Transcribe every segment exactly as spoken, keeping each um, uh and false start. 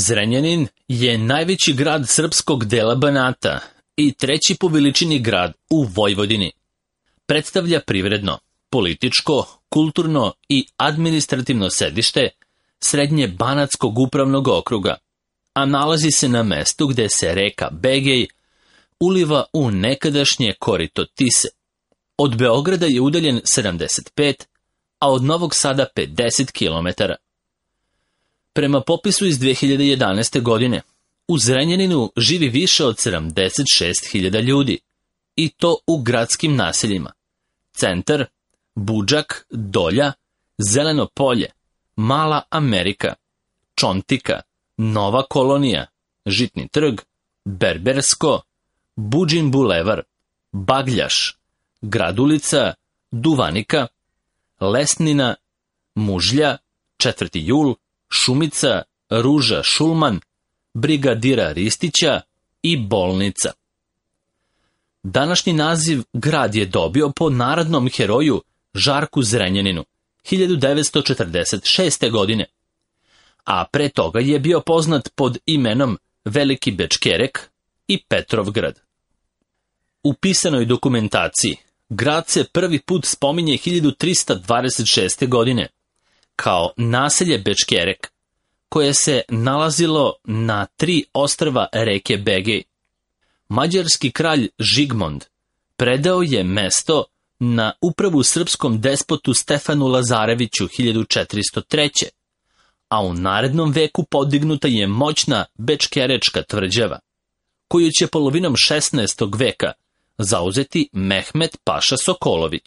Zrenjanin je najveći grad srpskog dela Banata i treći po veličini grad u Vojvodini. Predstavlja privredno, političko, kulturno i administrativno sedište srednje Banatskog upravnog okruga, a nalazi se na mestu gde se reka Begej uliva u nekadašnje korito Tise. Od Beograda je udaljen sedamdeset pet, a od Novog Sada pedeset kilometara. Prema popisu iz dve hiljade jedanaeste. godine, u Zrenjaninu živi više od sedamdeset šest hiljada ljudi, i to u gradskim naseljima: Centar, Budžak, Dolja, Zeleno polje, Mala Amerika, Čontika, Nova kolonija, Žitni trg, Berbersko, Buđin bulevar, Bagljaš, Gradulica, Duvanika, Lesnina, Mužlja, četvrti jul, Šumica, Ruža Šulman, Brigadira Ristića i Bolnica. Današnji naziv grad je dobio po narodnom heroju Žarku Zrenjaninu hiljadu devetsto četrdeset šeste. godine, a pre toga je bio poznat pod imenom Veliki Bečkerek i Petrovgrad. U pisanoj dokumentaciji grad se prvi put spominje hiljadu trista dvadeset šeste. godine kao naselje Bečkerek, koje se nalazilo na tri ostrva reke Begej. Mađarski kralj Žigmond predao je mesto na upravu srpskom despotu Stefanu Lazareviću hiljadu četiristo treće. a u narednom veku podignuta je moćna Bečkerečka tvrđava, koju će polovinom šesnaestog veka zauzeti Mehmet Paša Sokolović.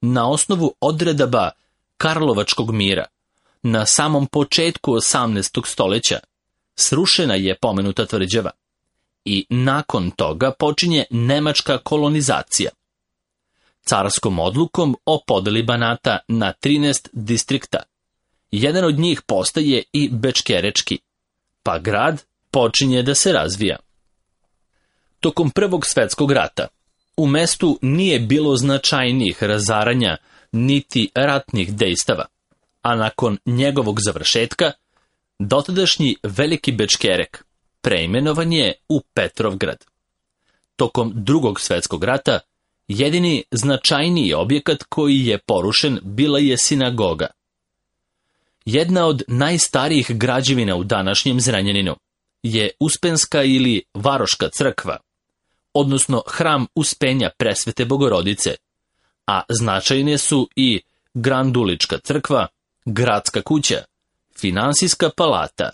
Na osnovu odredaba Karlovačkog mira, na samom početku osamnaestog stoljeća, srušena je pomenuta tvrđava i nakon toga počinje nemačka kolonizacija. Carskom odlukom o podeli Banata na trinaest distrikta, jedan od njih postaje i Bečkerečki, pa grad počinje da se razvija. Tokom Prvog svetskog rata u mestu nije bilo značajnijih razaranja niti ratnih dejstava, a nakon njegovog završetka, dotadašnji Veliki Bečkerek preimenovan je u Petrovgrad. Tokom Drugog svetskog rata jedini značajniji objekat koji je porušen bila je sinagoga. Jedna od najstarijih građevina u današnjem Zrenjaninu je Uspenska ili Varoška crkva, odnosno hram Uspenja Presvete Bogorodice, a značajne su i Grandulička crkva, Gradska kuća, Finansijska palata,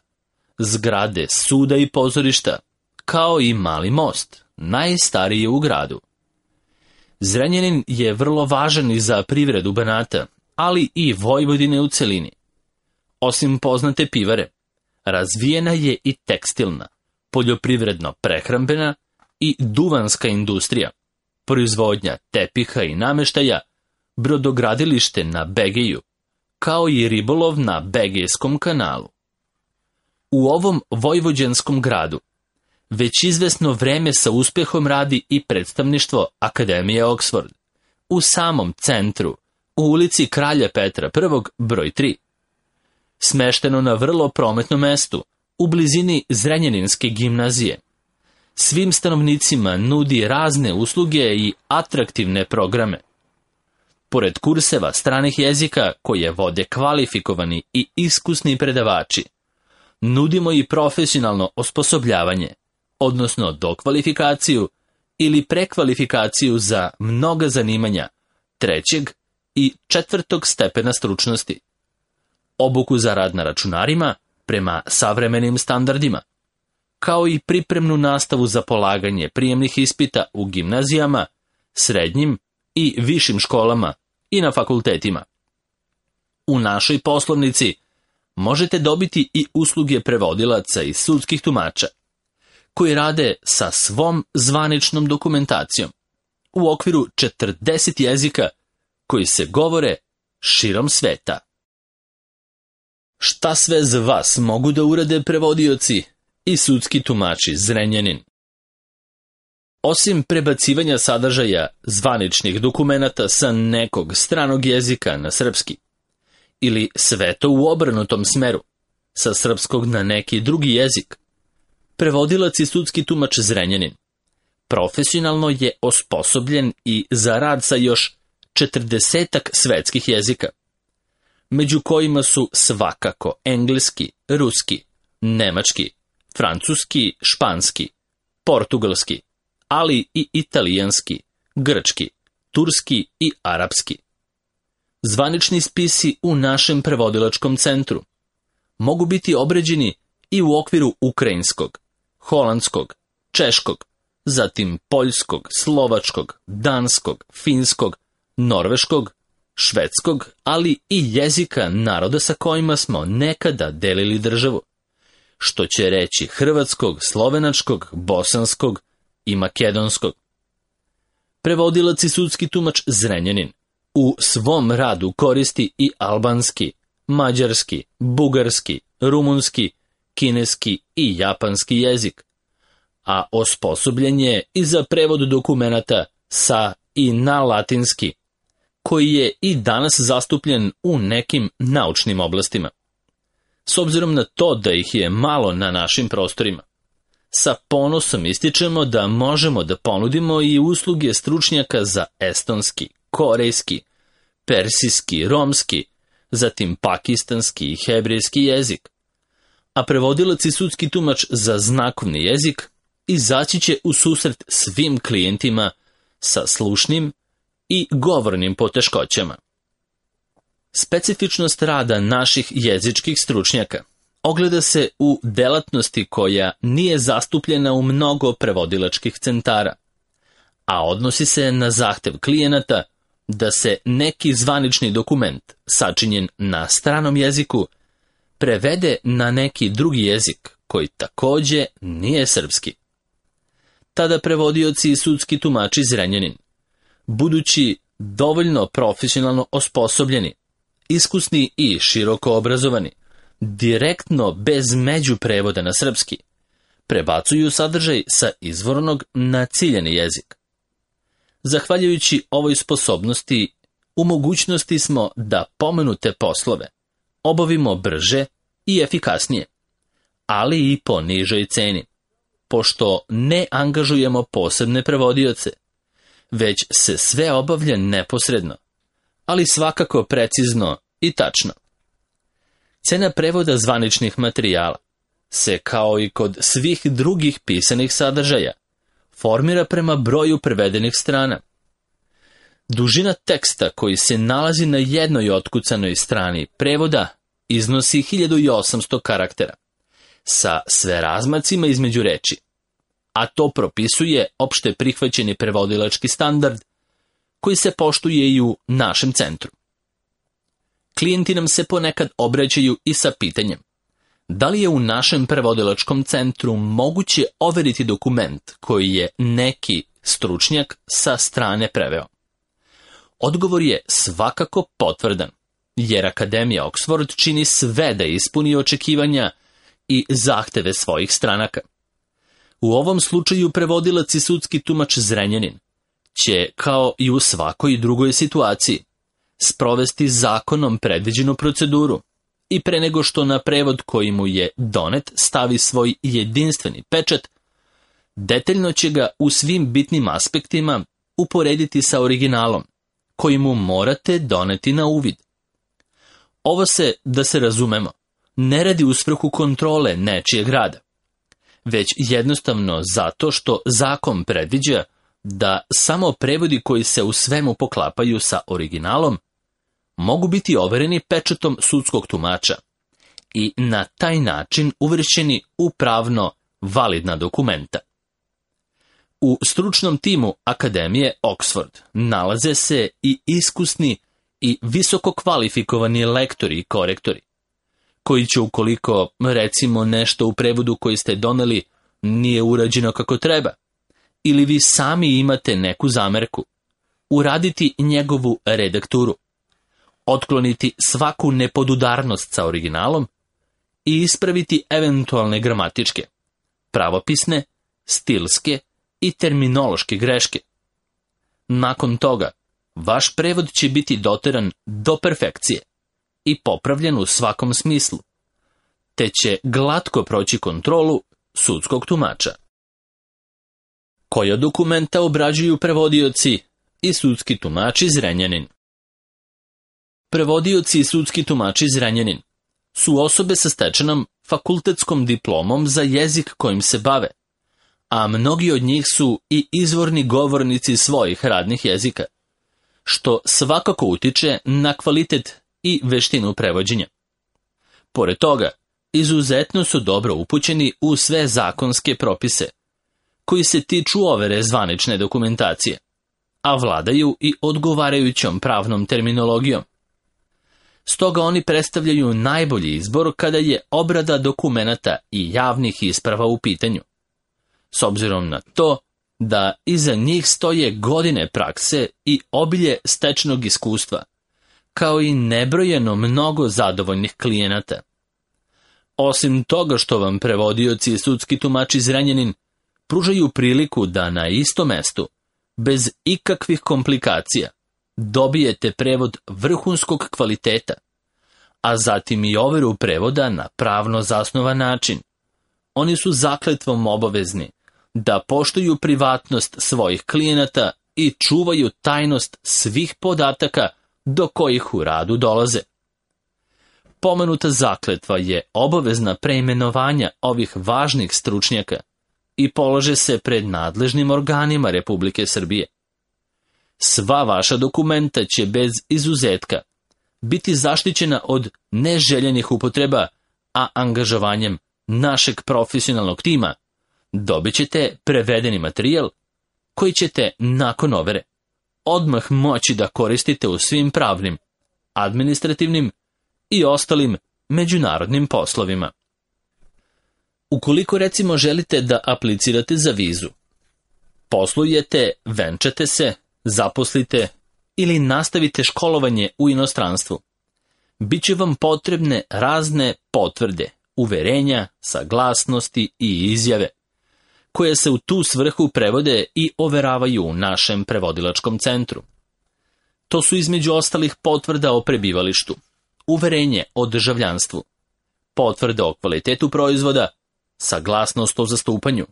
zgrade suda i pozorišta, kao i Mali most, najstariji u gradu. Zrenjanin je vrlo važan i za privredu Banata, ali i Vojvodine u celini. Osim poznate pivare, razvijena je i tekstilna, poljoprivredno-prehrambena i duvanska industrija, proizvodnja tepiha i nameštaja, brodogradilište na Begeju, kao i ribolov na Begejskom kanalu. U ovom vojvođanskom gradu već izvesno vreme sa uspehom radi i predstavništvo Akademije Oxford, u samom centru, u ulici Kralja Petra I, broj tri. Smešteno na vrlo prometnom mestu, u blizini Zrenjaninske gimnazije. Svim stanovnicima nudi razne usluge i atraktivne programe. Pored kurseva stranih jezika koje vode kvalifikovani i iskusni predavači, nudimo i profesionalno osposobljavanje, odnosno dokvalifikaciju ili prekvalifikaciju za mnoga zanimanja trećeg i četvrtog stepena stručnosti, obuku za rad na računarima prema savremenim standardima, kao i pripremnu nastavu za polaganje prijemnih ispita u gimnazijama, srednjim i višim školama i na fakultetima. U našoj poslovnici možete dobiti i usluge prevodilaca i sudskih tumača, koji rade sa svom zvaničnom dokumentacijom u okviru četrdeset jezika koji se govore širom sveta. Šta sve za vas mogu da urade prevodioci i sudski tumači Zrenjanin? Osim prebacivanja sadržaja zvaničnih dokumenata sa nekog stranog jezika na srpski, ili sve to u obrnutom smeru, sa srpskog na neki drugi jezik. Prevodilac i sudski tumač Zrenjanin profesionalno je osposobljen i za rad sa još četrdesetak svetskih jezika, među kojima su svakako engleski, ruski, nemački, francuski, španski, portugalski, ali i italijanski, grčki, turski i arapski. Zvanični spisi u našem prevodilačkom centru mogu biti obrađeni i u okviru ukrajinskog, holandskog, češkog, zatim poljskog, slovačkog, danskog, finskog, norveškog, švedskog, ali i jezika naroda sa kojima smo nekada delili državu, što će reći hrvatskog, slovenačkog, bosanskog i makedonskog. Prevodilac i sudski tumač Zrenjanin u svom radu koristi i albanski, mađarski, bugarski, rumunski, kineski i japanski jezik, a osposobljen je i za prevod dokumenata sa i na latinski, koji je i danas zastupljen u nekim naučnim oblastima. S obzirom na to da ih je malo na našim prostorima, sa ponosom ističemo da možemo da ponudimo i usluge stručnjaka za estonski, korejski, persijski, romski, zatim pakistanski i hebrejski jezik, a prevodilac i sudski tumač za znakovni jezik izaći će u susret svim klijentima sa slušnim i govornim poteškoćama. Specifičnost rada naših jezičkih stručnjaka ogleda se u delatnosti koja nije zastupljena u mnogo prevodilačkih centara, a odnosi se na zahtev klijenata da se neki zvanični dokument sačinjen na stranom jeziku prevede na neki drugi jezik koji takođe nije srpski. Tada prevodioci i sudski tumači Zrenjanin, budući dovoljno profesionalno osposobljeni, iskusni i široko obrazovani, direktno bez međuprevoda na srpski, prebacuju sadržaj sa izvornog na ciljani jezik. Zahvaljujući ovoj sposobnosti, u mogućnosti smo da pomenute poslove obavimo brže i efikasnije, ali i po nižoj ceni, pošto ne angažujemo posebne prevodioce, već se sve obavlja neposredno, ali svakako precizno i tačno. Cena prevoda zvaničnih materijala se, kao i kod svih drugih pisanih sadržaja, formira prema broju prevedenih strana. Dužina teksta koji se nalazi na jednoj otkucanoj strani prevoda iznosi hiljadu osamsto karaktera, sa sve razmacima između reči, a to propisuje opšte prihvaćeni prevodilački standard koji se poštuje i u našem centru. Klijenti nam se ponekad obraćaju i sa pitanjem: da li je u našem prevodilačkom centru moguće overiti dokument koji je neki stručnjak sa strane preveo? Odgovor je svakako potvrdan, jer Akademija Oxford čini sve da ispuni očekivanja i zahteve svojih stranaka. U ovom slučaju prevodilac i sudski tumač Zrenjanin će, kao i u svakoj drugoj situaciji, sprovesti zakonom predviđenu proceduru i pre nego što na prevod koji mu je donet stavi svoj jedinstveni pečat, detaljno će ga u svim bitnim aspektima uporediti sa originalom, koji mu morate doneti na uvid. Ovo se, da se razumemo, ne radi u svrhu kontrole nečijeg rada, već jednostavno zato što zakon predviđa da samo prevodi koji se u svemu poklapaju sa originalom mogu biti overeni pečatom sudskog tumača i na taj način uvršćeni u pravno validna dokumenta. U stručnom timu Akademije Oxford nalaze se i iskusni i visoko kvalifikovani lektori i korektori, koji će, ukoliko, recimo, nešto u prevodu koji ste doneli nije urađeno kako treba, ili vi sami imate neku zamerku, uraditi njegovu redakturu, otkloniti svaku nepodudarnost sa originalom i ispraviti eventualne gramatičke, pravopisne, stilske i terminološke greške. Nakon toga, vaš prevod će biti doteran do perfekcije i popravljen u svakom smislu, te će glatko proći kontrolu sudskog tumača. Koja dokumenta obrađuju prevodioci i sudski tumači Zrenjanin? Prevodioci i sudski tumači Zrenjanin su osobe sa stečenom fakultetskom diplomom za jezik kojim se bave, a mnogi od njih su i izvorni govornici svojih radnih jezika, što svakako utiče na kvalitet i veštinu prevođenja. Pored toga, izuzetno su dobro upućeni u sve zakonske propise, koji se tiču overe zvanične dokumentacije, a vladaju i odgovarajućom pravnom terminologijom. Stoga oni predstavljaju najbolji izbor kada je obrada dokumenata i javnih isprava u pitanju, s obzirom na to da iza njih stoje godine prakse i obilje stečenog iskustva, kao i nebrojeno mnogo zadovoljnih klijenata. Osim toga što vam prevodioci i sudski tumači Zrenjanin pružaju priliku da na istom mestu, bez ikakvih komplikacija, dobijete prevod vrhunskog kvaliteta, a zatim i overu prevoda na pravno zasnovan način. Oni su zakletvom obavezni da poštuju privatnost svojih klijenata i čuvaju tajnost svih podataka do kojih u radu dolaze. Pomenuta zakletva je obavezna preimenovanja ovih važnih stručnjaka i polože se pred nadležnim organima Republike Srbije. Sva vaša dokumenta će bez izuzetka biti zaštićena od neželjenih upotreba, a angažovanjem našeg profesionalnog tima dobit ćete prevedeni materijal koji ćete nakon overe odmah moći da koristite u svim pravnim, administrativnim i ostalim međunarodnim poslovima. Ukoliko recimo želite da aplicirate za vizu, poslujete, venčate se, zaposlite ili nastavite školovanje u inostranstvu, bit će vam potrebne razne potvrde, uverenja, saglasnosti i izjave, koje se u tu svrhu prevode i overavaju u našem prevodilačkom centru. To su između ostalih potvrda o prebivalištu, uverenje o državljanstvu, potvrda o kvalitetu proizvoda, saglasnost o zastupanju,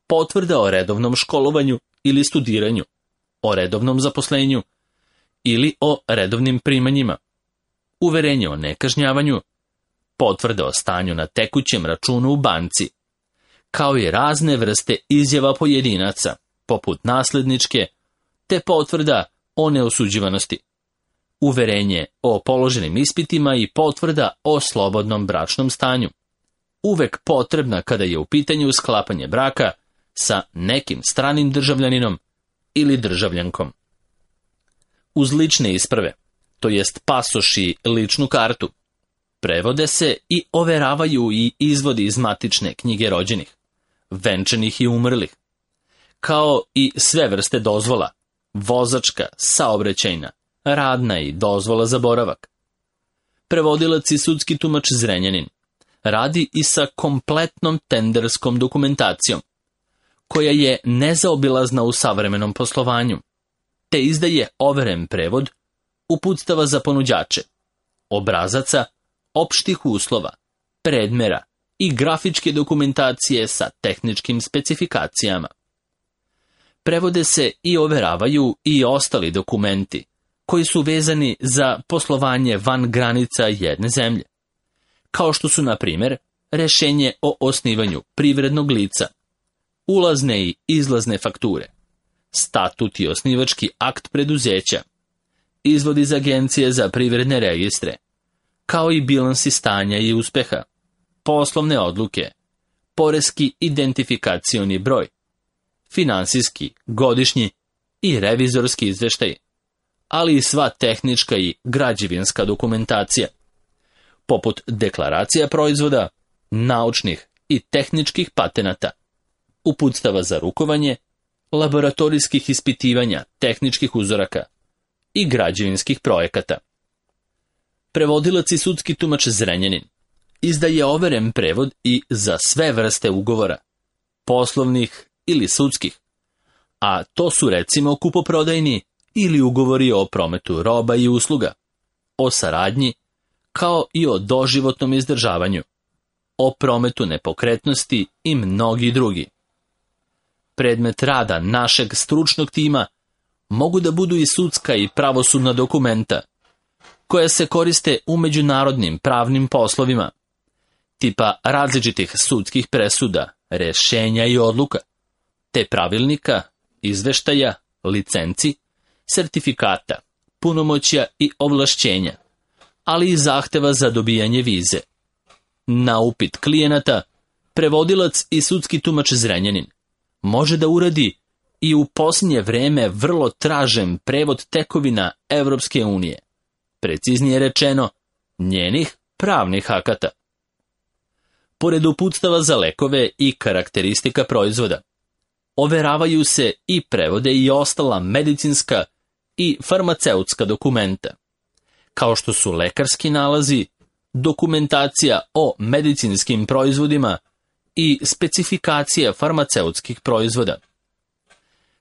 potvrda o redovnom školovanju ili studiranju, o redovnom zaposlenju ili o redovnim primanjima, uverenje o nekažnjavanju, potvrda o stanju na tekućem računu u banci, kao i razne vrste izjava pojedinaca, poput nasledničke, te potvrda o neosuđivanosti, uverenje o položenim ispitima i potvrda o slobodnom bračnom stanju, uvek potrebna kada je u pitanju sklapanje braka sa nekim stranim državljaninom ili državljankom. Uz lične isprave, to jest pasoš i ličnu kartu, prevode se i overavaju i izvodi iz matične knjige rođenih, venčanih i umrlih, kao i sve vrste dozvola, vozačka, saobraćajna, radna i dozvola za boravak. Prevodilac i sudski tumač Zrenjanin radi i sa kompletnom tenderskom dokumentacijom, koja je nezaobilazna u savremenom poslovanju, te izdaje overen prevod uputstava za ponuđače, obrazaca, opštih uslova, predmera i grafičke dokumentacije sa tehničkim specifikacijama. Prevode se i overavaju i ostali dokumenti koji su vezani za poslovanje van granica jedne zemlje, kao što su, na primjer, rešenje o osnivanju privrednog lica, ulazne i izlazne fakture, statut i osnivački akt preduzeća, izvod iz agencije za privredne registre, kao i bilansi stanja i uspeha, poslovne odluke, poreski identifikacioni broj, finansijski, godišnji i revizorski izveštaj, ali i sva tehnička i građevinska dokumentacija, poput deklaracija proizvoda, naučnih i tehničkih patenata, uputstava za rukovanje, laboratorijskih ispitivanja tehničkih uzoraka i građevinskih projekata. Prevodilac i sudski tumač Zrenjanin izdaje overen prevod i za sve vrste ugovora, poslovnih ili sudskih, a to su recimo kupoprodajni ili ugovori o prometu roba i usluga, o saradnji, kao i o doživotnom izdržavanju, o o prometu nepokretnosti i mnogi drugi. Predmet rada našeg stručnog tima mogu da budu i sudska i pravosudna dokumenta, koja se koriste u međunarodnim pravnim poslovima, tipa različitih sudskih presuda, rešenja i odluka, te pravilnika, izveštaja, licenci, sertifikata, punomoćja i ovlašćenja, ali i zahteva za dobijanje vize. Na upit klijenata, prevodilac i sudski tumač Zrenjanin može da uradi i u posljednje vreme vrlo tražen prevod tekovina Evropske unije, preciznije rečeno, njenih pravnih akata. Pored uputstava za lekove i karakteristika proizvoda, overavaju se i prevode i ostala medicinska i farmaceutska dokumenta, kao što su lekarski nalazi, dokumentacija o medicinskim proizvodima i specifikacija farmaceutskih proizvoda.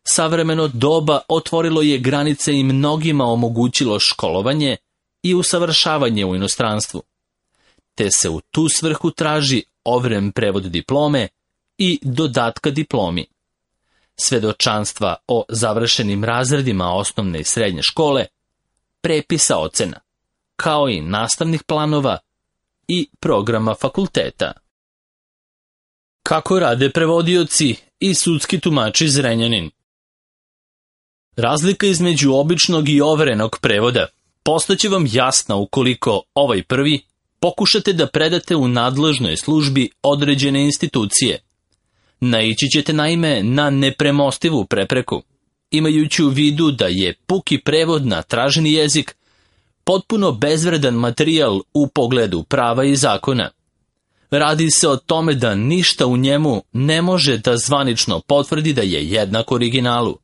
Savremeno doba otvorilo je granice i mnogima omogućilo školovanje i usavršavanje u inostranstvu, te se u tu svrhu traži overen prevod diplome i dodatka diplomi, svedočanstva o završenim razredima osnovne i srednje škole, prepisa ocena, kao i nastavnih planova i programa fakulteta. Kako rade prevodioci i sudski tumači Zrenjanin? Razlika između običnog i overenog prevoda postaće vam jasna ukoliko ovaj prvi pokušate da predate u nadležnoj službi određene institucije. Naići ćete naime na nepremostivu prepreku, imajući u vidu da je puki prevod na traženi jezik potpuno bezvredan materijal u pogledu prava i zakona. Radi se o tome da ništa u njemu ne može da zvanično potvrdi da je jednak originalu,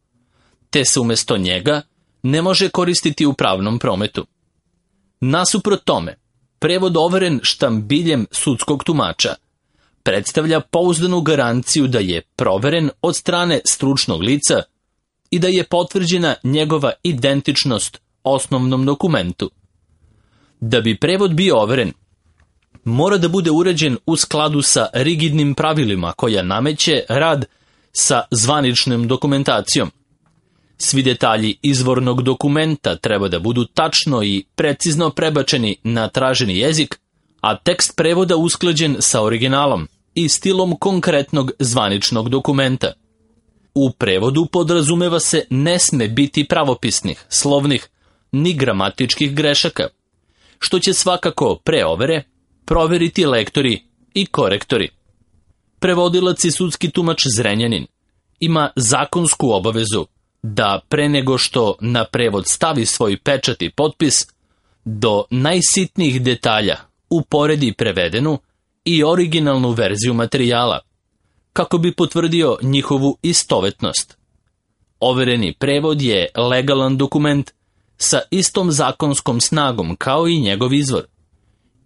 te se umjesto njega ne može koristiti u pravnom prometu. Nasuprot tome, prevod overen štambiljem sudskog tumača predstavlja pouzdanu garanciju da je proveren od strane stručnog lica i da je potvrđena njegova identičnost osnovnom dokumentu. Da bi prevod bio overen, mora da bude uređen u skladu sa rigidnim pravilima koja nameće rad sa zvaničnom dokumentacijom. Svi detalji izvornog dokumenta treba da budu tačno i precizno prebačeni na traženi jezik, a tekst prevoda usklađen sa originalom i stilom konkretnog zvaničnog dokumenta. U prevodu podrazumeva se ne sme biti pravopisnih, slovnih, ni gramatičkih grešaka, što će svakako pre overe proveriti lektori i korektori. Prevodilac i sudski tumač Zrenjanin ima zakonsku obavezu da pre nego što na prevod stavi svoj pečat i potpis, do najsitnijih detalja uporedi prevedenu i originalnu verziju materijala, kako bi potvrdio njihovu istovetnost. Overeni prevod je legalan dokument sa istom zakonskom snagom kao i njegov izvor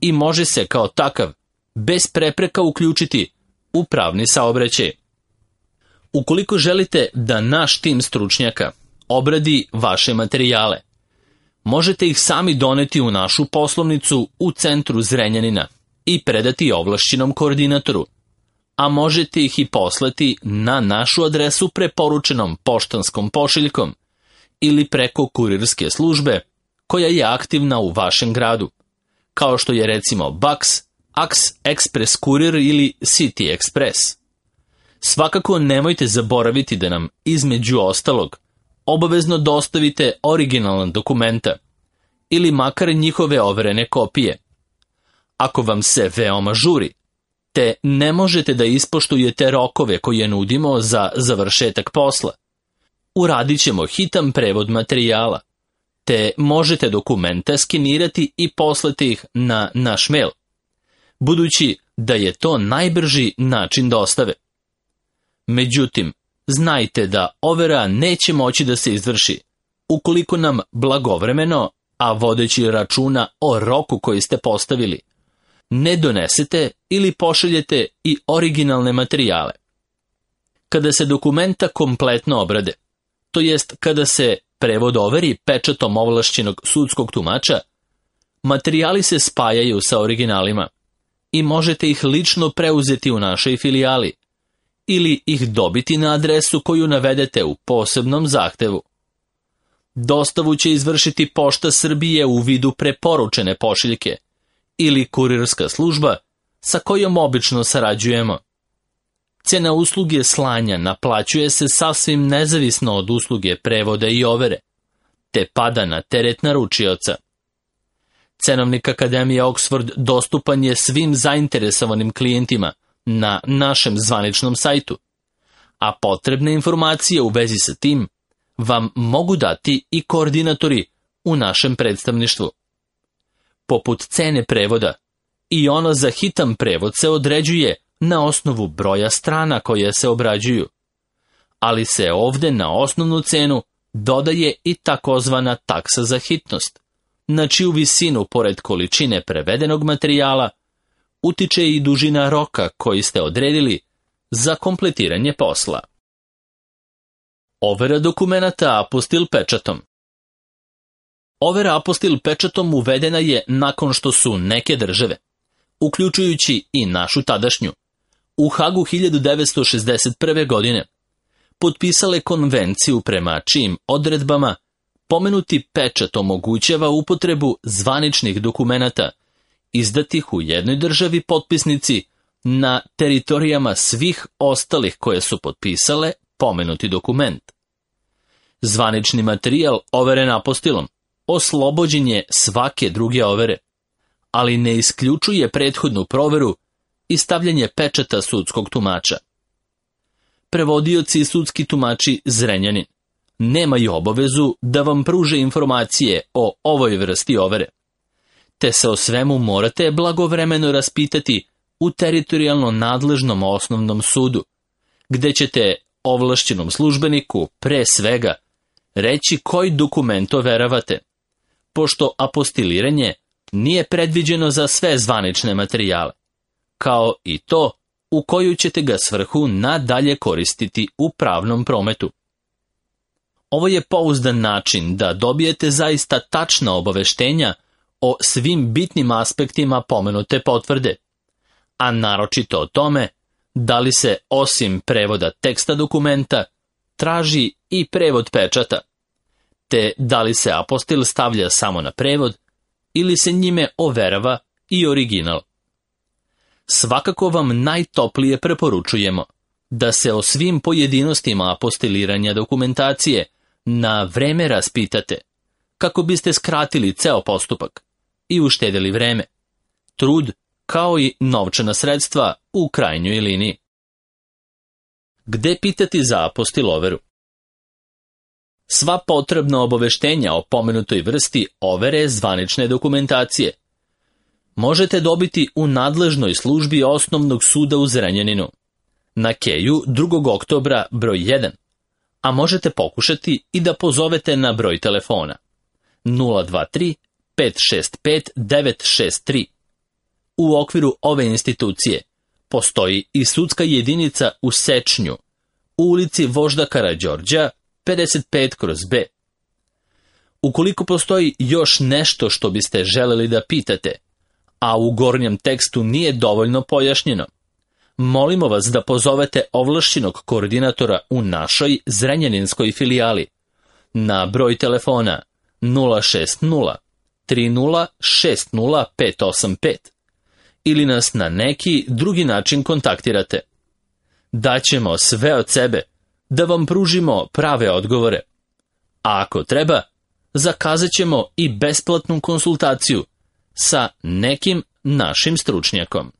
i može se kao takav bez prepreka uključiti u pravni saobraćaj. Ukoliko želite da naš tim stručnjaka obradi vaše materijale, možete ih sami doneti u našu poslovnicu u centru Zrenjanina i predati ovlašćenom koordinatoru, a možete ih i poslati na našu adresu preporučenom poštanskom pošiljkom ili preko kurirske službe koja je aktivna u vašem gradu, kao što je recimo Bax, Ax Express Kurir ili City Express. Svakako nemojte zaboraviti da nam, između ostalog, obavezno dostavite originalna dokumenta ili makar njihove overene kopije. Ako vam se veoma žuri, te ne možete da ispoštujete rokove koje nudimo za završetak posla, uradit ćemo hitan prevod materijala, te možete dokumenta skenirati i poslati ih na naš mail, budući da je to najbrži način dostave. Međutim, znajte da overa neće moći da se izvrši ukoliko nam blagovremeno, a vodeći računa o roku koji ste postavili, ne donesete ili pošaljete i originalne materijale. Kada se dokumenta kompletno obrade, to jest kada se prevod overi pečatom ovlašćenog sudskog tumača, materijali se spajaju sa originalima i možete ih lično preuzeti u našoj filijali ili ih dobiti na adresu koju navedete u posebnom zahtevu. Dostavu će izvršiti Pošta Srbije u vidu preporučene pošiljke ili kurirska služba sa kojom obično sarađujemo. Cena usluge slanja naplaćuje se sasvim nezavisno od usluge prevoda i overe, te pada na teret naručioca. Cenovnik Akademije Oxford dostupan je svim zainteresovanim klijentima na našem zvaničnom sajtu, a potrebne informacije u vezi sa tim vam mogu dati i koordinatori u našem predstavništvu. Poput cene prevoda, i ona za hitan prevod se određuje na osnovu broja strana koje se obrađuju, ali se ovde na osnovnu cenu dodaje i takozvana taksa za hitnost, na čiju visinu, pored količine prevedenog materijala, utiče i dužina roka koji ste odredili za kompletiranje posla. Overa dokumenata apostil pečatom. Overa apostil pečatom uvedena je nakon što su neke države, uključujući i našu tadašnju, u Hagu hiljadu devetsto šezdeset prve. godine potpisale konvenciju prema čijim odredbama pomenuti pečat omogućava upotrebu zvaničnih dokumenata izdatih u jednoj državi potpisnici na teritorijama svih ostalih koje su potpisale pomenuti dokument. Zvanični materijal overen apostilom oslobođen je svake druge overe, ali ne isključuje prethodnu proveru i stavljanje pečata sudskog tumača. Prevodioci i sudski tumači Zrenjanin nemaju obavezu da vam pruže informacije o ovoj vrsti overe, te se o svemu morate blagovremeno raspitati u teritorijalno nadležnom osnovnom sudu, gde ćete ovlašćenom službeniku pre svega reći koji dokument overavate, pošto apostiliranje nije predviđeno za sve zvanične materijale, kao i to u koju ćete ga svrhu nadalje koristiti u pravnom prometu. Ovo je pouzdan način da dobijete zaista tačna obaveštenja o svim bitnim aspektima pomenute potvrde, a naročito o tome da li se osim prevoda teksta dokumenta traži i prevod pečata, te da li se apostil stavlja samo na prevod ili se njime overava i original. Svakako vam najtoplije preporučujemo da se o svim pojedinostima apostiliranja dokumentacije na vreme raspitate, kako biste skratili ceo postupak i uštedeli vreme, trud kao i novčana sredstva u krajnjoj liniji. Gde pitati za apostil overu? Sva potrebna obaveštenja o pomenutoj vrsti overe zvanične dokumentacije možete dobiti u nadležnoj službi Osnovnog suda u Zrenjaninu, na Keju drugog oktobra broj jedan, a možete pokušati i da pozovete na broj telefona nula dva tri pet šest pet devet šest tri. U okviru ove institucije postoji i sudska jedinica u Sečnju, u ulici Vožda Karađorđa pedeset pet kroz B. Ukoliko postoji još nešto što biste želeli da pitate, a u gornjem tekstu nije dovoljno pojašnjeno, molimo vas da pozovete ovlašćenog koordinatora u našoj zrenjaninskoj filijali na broj telefona nula šest nula tri nula šest nula pet osam pet ili nas na neki drugi način kontaktirate. Daćemo sve od sebe da vam pružimo prave odgovore, a ako treba, zakazat ćemo i besplatnu konsultaciju sa nekim našim stručnjakom.